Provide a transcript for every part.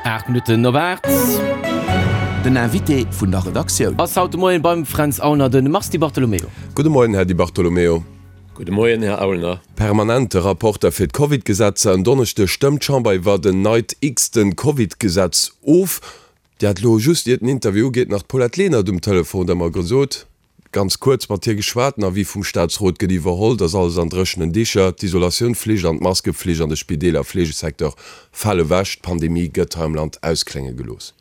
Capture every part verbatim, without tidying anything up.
Aacht Minutten op aacht. Den Invité vun der Redaktioun. Ass haut de Moien beim Fränz Aulner de Mars Di Bartolomeo. Gudde Moien, Här Di Bartolomeo. Gudde Moien, Här Aulner. Permanente Rapporter fir d'Covid-Gesetzer. En Donneschdeg stëmmt d'Chamber iwwert en neit x-ten Covid-Gesetz of. Dir hat elo just iert den Interview ugeet nach d'Paulette Lenert um Telefon, der mer gesot, ganz kuerz mat hir geschwat, den Avis vum Staatsrot gëtt iwwerholl, et ass alles an dréchenen Dicher, d'Isolatiounflicht an d'Maskeflicht an de Spideeler a Fleegesecteur fale ewech, d'Pandemie gëtt hei am Land ausklénge gelooss.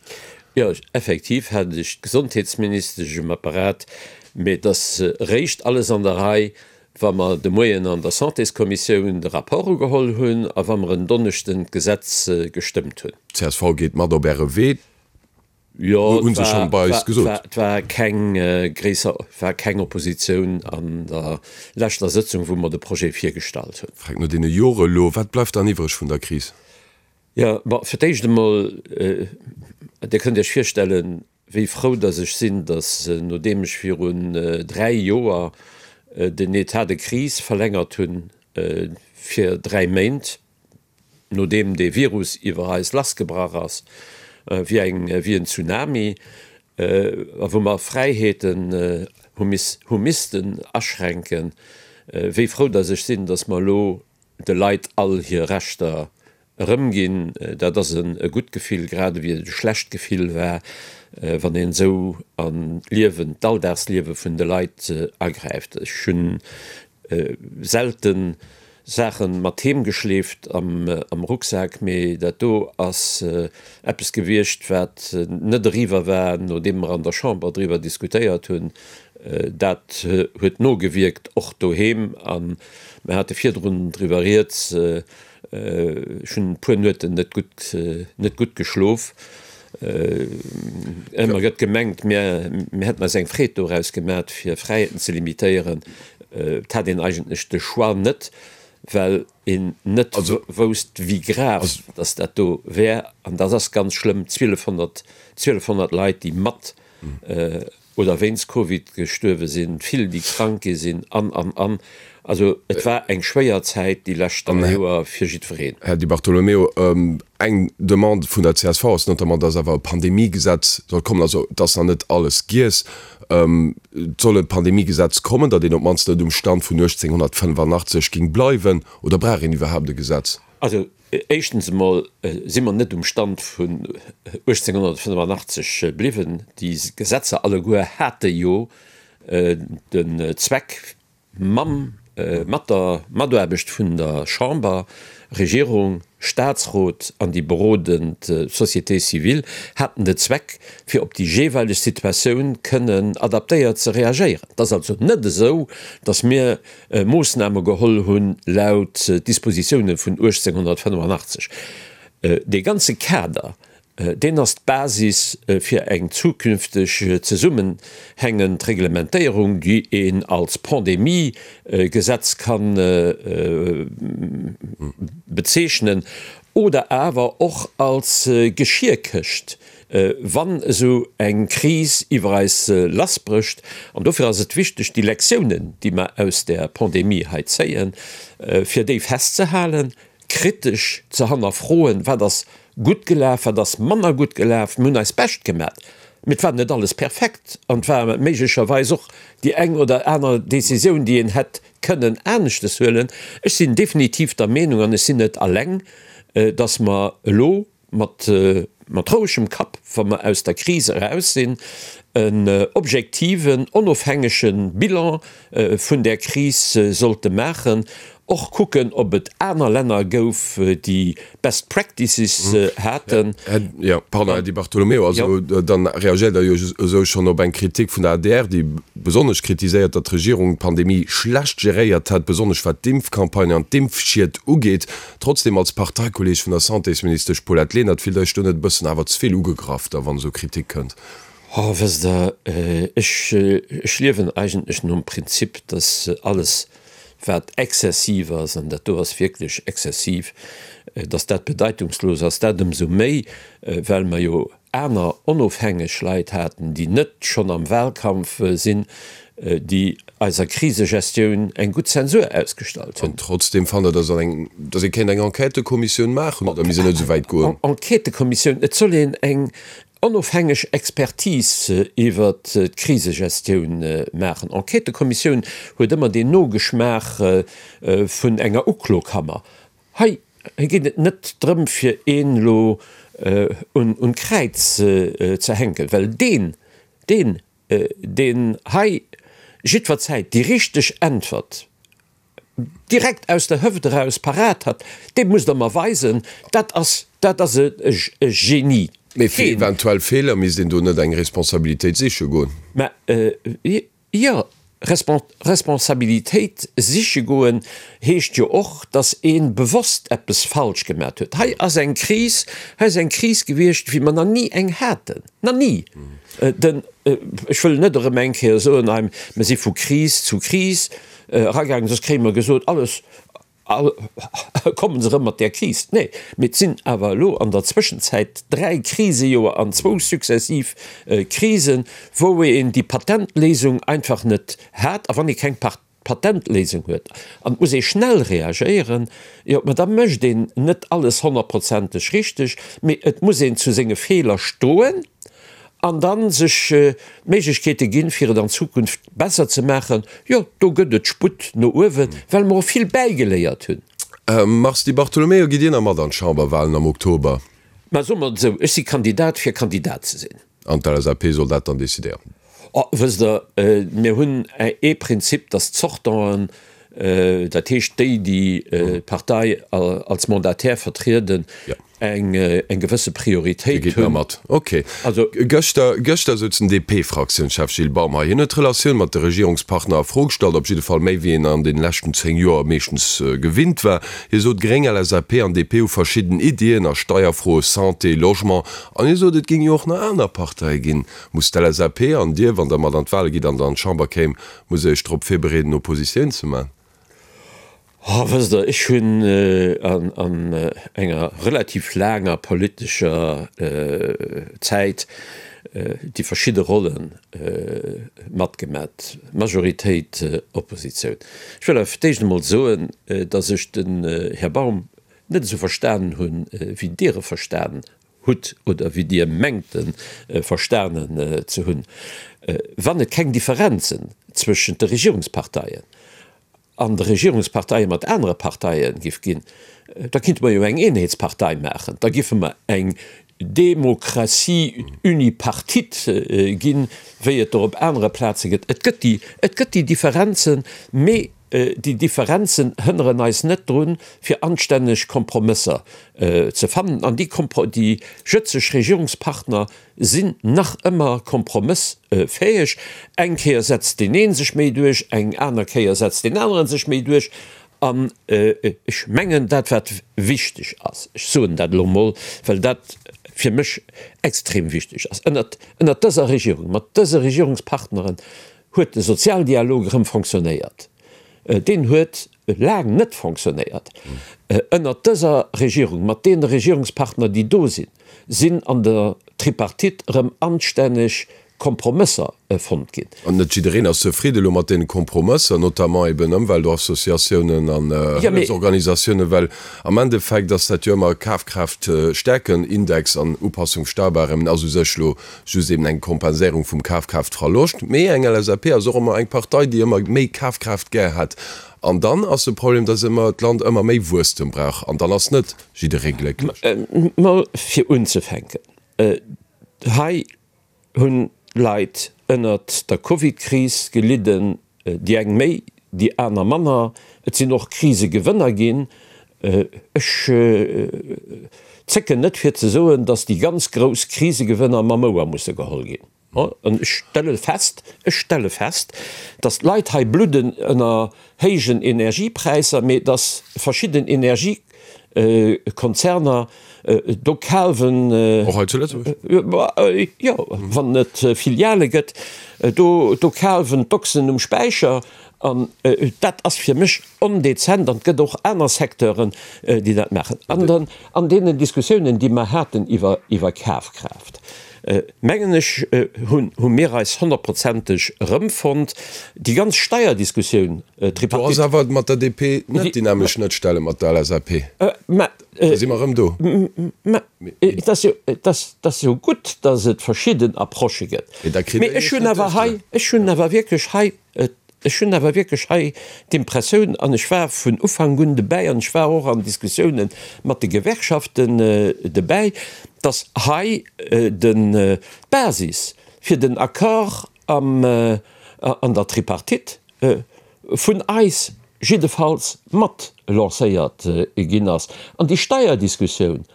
Jo, effektiv hat ech d'Gesondheetsministesch um Apparat, mee et ass eréischt alles an der Rei, wa mer de Moien an der Santéskommissioun de Rapport ugeholl hunn a wa mer en Donneschden d'Gesetz gestëmmt hunn. D'csv geet mat op Äre Wee, Jo, hu se schonn bei eis gesot. Et war keng gréisser, war keng Oppositioun an der leschter Sëtzung, wou mer de Projet virgestallt hunn. Fränk, no deene Jore elo, wat bleift dann iwwreg vun der Kris? Jo, bon, fir d'éischt emol, Dir kënnt Iech virstellen, wéi frou datt ech sinn, datt, nodeem ech virun dräi Joer den État de crise verlängert hunn fir dräi Méint, nodeem dee Virus iwwer eis lassgebrach ass wéi eng, wéi en Tsunami, a wou mer Fräiheeten hu miss, hu missten aschränken, wéi frou datt ech sinn, datt mer elo de Leit all hir Rechter erëmginn. Dat ass e gutt Gefill, grad ewéi et e schlecht Gefill war, wann een esou an d'Liewen, d'Alldagsliewe vun de Leit agräift. Ech hunn selte Saache mat heem geschleeft am Rucksak, mee dat do ass eppes gewiescht, wat net eriwwer war, nodeem mer an der Chamber driwwer diskutéiert hunn. Dat huet nogewierkt, och doheem. A mir hate virdrun driwwer rieds, ech hunn e puer Nueten net gutt, net gutt geschlof. Ëmmer gëtt gemengt, mir, mir hätten eis eng Freed doraus gemat, fir Fräiheeten ze limitéieren. Et hat een eigentlech de Choix net, well een net wousst, wéi grav dass dat do wär. An dat ass ganz schlëmm, zwielefhonnert, zwielefhonnert Leit, déi mat oder wéinst Covid gestuerwe sinn, vill, déi krank gi sinn, an, an, an. Also et war eng schwéier Zäit déi lescht dräi Joer fir jiddwereen. Här Di Bartolomeo, eng Demande vun der csv ass notamment, dass awer e Pandemiegesetz soll kommen. Also et ass nach net alles giess. Et soll e Pandemiegesetz kommen, datt een op d'mannst net um Stand vun uechtzénghonnertfënnefanachtzeg géing bleiwen. Oder brauch een iwwerhaapt e Gesetz? Also éischtens emol si mer net um Stand vun uechtzénghonnertfënnefanachtzeg bliwwen. Déi Gesetzer alleguer hate jo den Zweck, mam, mat der Mataarbecht vun der Chamber, Regierung, Statsrot an déi berodend Société civile, haten de Zweck, fir op déi jeeweileg Situatioun kënnen adaptéiert ze reagéieren. Et ass also net esou, datt mir Moossname geholl hunn laut Dispositiounen vun uechtzénghonnertfënnefanachtzeg. Dee ganze Kader, deen ass d'Basis fir eng zukünfteg zesummenhängend Reglementéierung, déi een als Pandemiegesetz ka bezeechnen oder awer och als Geschierkëscht, wann esou eng Kris iwwer eis lassbrécht. An dofir ass et wichteg, déi Lektiounen, déi mer aus där Pandemie hei zéien, fir déi festzehalen, kritesch ze hannerfroen, wat ass gutt gelaf, wat ass manner gutt gelaf. Mir hunn eist Bescht gemat, mee et war net alles perfekt an et war méiglecherweis och déi eng oder aner Décisioun, déi een hätt kënnen aneschtes huelen. Ech sinn definitiv der Meenung, an ech sinn net alleng, dass mer elo mat mat rouegem Kapp, wa mer aus der Kris eraus sinn, en objektiven, onofhängege Bilan vun där Kris sollte maachen, och kucken, ob et aner Länner gouf, déi Best Practices haten. Jo, pardon, Här Di Bartolomeo, also dann reagéiert Der jo esou schonn op eng Kritik vun der adr, déi besonnesch kritiséiert, datt d'Regierung d'Pandemie schlecht geréiert hätt, besonnesch wat d'Impfcampagne an d'Impfschied ugeet. Trotzdem, als Parteikolleeg vun der Santésministesch Paulette Lenert, fillt Der Iech do net e bëssen awer ze vill ugegraff da, wann esou Kritik kënnt? Oh, wësst Der, ech, ech liewen eigentlech nom Prinzip, dass alles, wat exzessiv ass, an dat do ass wierklech exzessiv, dass dat bedeitungslos ass. Dat ëmsou méi, well mer jo aner onofhängeg Leit haten, déi net schonn am Wahlkampf sinn, déi eiser Krisegestioun eng gutt Zensur ausgestallt hunn. An trotzdem fannt Der, dass eng, dass ee kéint eng Enquêtëkommissioun maachen, oder misst een net esou wäit goen? Enquêtëkommissioun, et soll een eng onofhängeg Expertise iwwert d'Krisegestioun maachen. Enquêtëkommissioun huet ëmmer deen Nogeschmaach vun enger Uklokammer. Hei geet et net drëm, fir een elo un d'Kräiz ze hänken, well deen, deen, deen hei jiddwer Zäit déi richteg Äntwert direkt aus der Hëft eraus parat hat, dee musst Der mer weisen, dat ass, dat ass e Genie. Mee fir eventuell Feeler misst een do net eng Responsabilitéit siche goen? Mä jo, Responsabilitéit siche goen heescht jo och, datt ee bewosst eppes falsch gemat huet. Hei ass eng Kris, hei ass eng Kris gewiescht, wéi mer nach ni eng haten, nach ni! Den, ech wëll net erëm eng Kéier soen, hei, mer si vu Kris zu Kris eragaangen, soss kréie mer gesot, alles, Komme se erëm mat där Kris? Nee, mee et sinn awer elo an der Zwëschenzäit dräi Krisejoer an zwou successiv Krisen, wou een déi Patentléisung einfach net hat. A wann ee keng Patentléisung huet an et muss ee schnell reagéieren, jo, ma da mécht een net alles honnertprozenteg richteg, mee et muss een zu senge Feeler stoen. An da sech d'Méiglechkeete ginn, fir et an Zukunft besser ze maachen, jo, do gëtt et Sputt no uewen, well mer och vill bäigeléiert hunn. Mars Di Bartolomeo, Gitt Dir nach mat an d'Chamberwahlen am Oktober? Mä soe mer et esou, ech si Kandidat fir Kandidat ze sinn. An d'LSAP soll dat dann decidéieren? Oh, wësst Der, mir hunn ee Prinzip, datt d'Sortanten, dat heescht déi, déi d'Partei als Mandataire vertrieden, eng gewësse Prioritéit hunn. Mat. Ok. Gëschter, gëschter souz den DP-Fraktiounschef Gilles Baum hei. Hien huet d'Relatioun mat de Regierungspartner a Fro gestallt, op jidde Fall méi wéi een an deene leschten zéng Joer meeschtens gewinnt war. Hie sot, Gréng, LSAP an D P hu verschidden Iddien a Steierfroe, Santé, Logement. An hie sot, et géing jo och nach aner Parteie ginn. Muss d'LSAP an Dir, wann Der mat an d'Wale gitt an Der an d'Chamber kéim, muss Der Iech drop virbereeden, Oppositioun ze man? Oh, wësst Der, ech hunn an enger relativ laanger politescher Zäit déi verschidde Rolle matgemat, Majoritéit, Oppositioun. Ech wëll awer fir d'éischt emol soen, datt ech den Här Baum net esou verstanen hunn, wéi Dir e verstanen hutt oder wéi Dir mengt e verstanen ze hunn. Wann et keng Differenzen zwëschent de Regierungsparteien an de Regierungsparteie mat anere Parteie giff ginn, da kinnte mer jo eng Eenheetspartei maachen, da giffe mer eng Demokratie unipartite ginn, wéi et der op anere Plaze gëtt. Et gëtt déi, et gëtt déi Differenzen, mee déi Differenzen hënneren eis net drun, fir anstänneg Kompromësser ze fannen. An déi Kompro, déi jëtzeg Regierungspartner sinn nach ëmmer kompromëssfäeg. Eng Kéier setzt deen een sech méi duerch, eng aner Kéier setzt deen aneren sech méi duerch. An ech mengen, dat wat wichteg ass, ech soen dat elo emol, well dat fir mech extrem wichteg ass, ënnert, ënnert dëser Regierung, mat dëse Regierungspartneren huet de Sozialdialog erëm fonctionnéiert. Deen huet laang net fonctionnéiert. Ënnert dëser Regierung, mat deene Regierungspartner, déi do sinn, sinn an der Tripartite erëm anstänneg Kompromësser fonnt ginn. An net jiddereen ass zefridde elo mat deene Kompromësser, notamment eben Ëmweltassociatiounen an Hëllefsorganisatiounen, well am Endeffekt ass dat jo ëmmer Kafkraaftstärken-Index an Upassung Steuerbarèmen ass u sech elo just eben eng Kompenséierung vum Kafkraaftverloscht. Mee eng LSAP ass och ëmmer eng Partei, déi ëmmer méi Kafkraaft gär hätt. An dann ass de Problem, dass ëmmer d'Land ëmmer méi Wuesstem brauch. An dann ass net jidderee glécklech. Mol fir unzefänken, hei hunn Leit ënnert der Covid-Kris gelidden, déi eng méi, déi aner manner. Et sinn och Krisegewënner ginn. Ech zécken net fir ze soen, dass déi ganz grouss Krisegewënner mam Ouer musse geholl ginn. An ech stelle fest, ech stelle fest, dass d'Leit hei bludden ënner héijen Energiepräisser, mee dass verschidden Energiekonzerner do kaalwen. Och hei zu Lëtzebuerg? Jo, wann et Filiale gëtt, do, do kaalwen d'Ochsen um Späicher. An dat ass fir mech ondezent an et gëtt och aner Secteuren, déi dat maachen. An dann an deenen Diskussiounen, déi mer haten iwwer, iwwer Kafkraaft, mengen ech, hunn, hu mir eis honnertprozenteg erëmfonnt. Déi ganz Steierdiskussioun, Do ass Tripartite. awer mat der DP net déi nämmlecht Schnëttstelle mat der LSAP. Mä, Da si mer erëm do. mä et ass jo, et ass, et ass jo gutt, datt et verschidden Approchë gëtt. Mee da kritt Mee Der ech Iech hunn net awer hei, duerchgesat. ech hunn awer wierklech hei, Ech hunn awer wierklech hei d'Impressioun, an ech war vun Ufank un dobäi an ech war och an Diskussiounen mat de Gewerkschaften dobäi, datt hei d'Basis fir den Accord an der Tripartite vun eis jiddefalls mat lancéiert ginn ass. An déi Steierdiskussioun,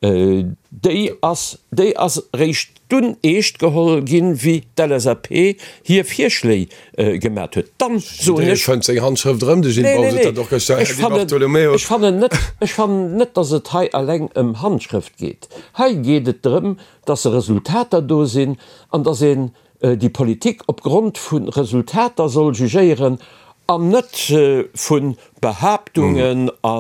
Déi ass, déi ass eréischt dunn eescht geholl ginn, wéi d'LSAP hir Virschléi gemat huet. Dann soen Jidderee ech. fënnt seng Handschrëft erëm, de Gilles Nee, nee, Baum sot nee. dat och gëschter, Här Ech Di fannen, Bartolomeo. ech fannen net, ech fannen net, datt et hei eleng ëm Handschrëft geet. Hei geet et drëm, datt Resultater do sinn an datt een déi Politik op Grond vu Resultater soll jugéieren an net vu Behaaptungen a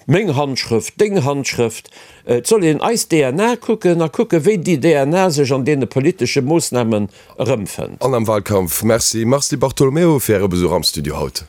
meng Handschrëft, deng Handschrëft. Et soll een eis DNA kucken a kucken, wéi déi DNA sech an deene politesche Moossnamen erëmfënnt. An am Wahlkampf. Merci Mars Di Bartolomeo fir Äre Besuch am Studio haut.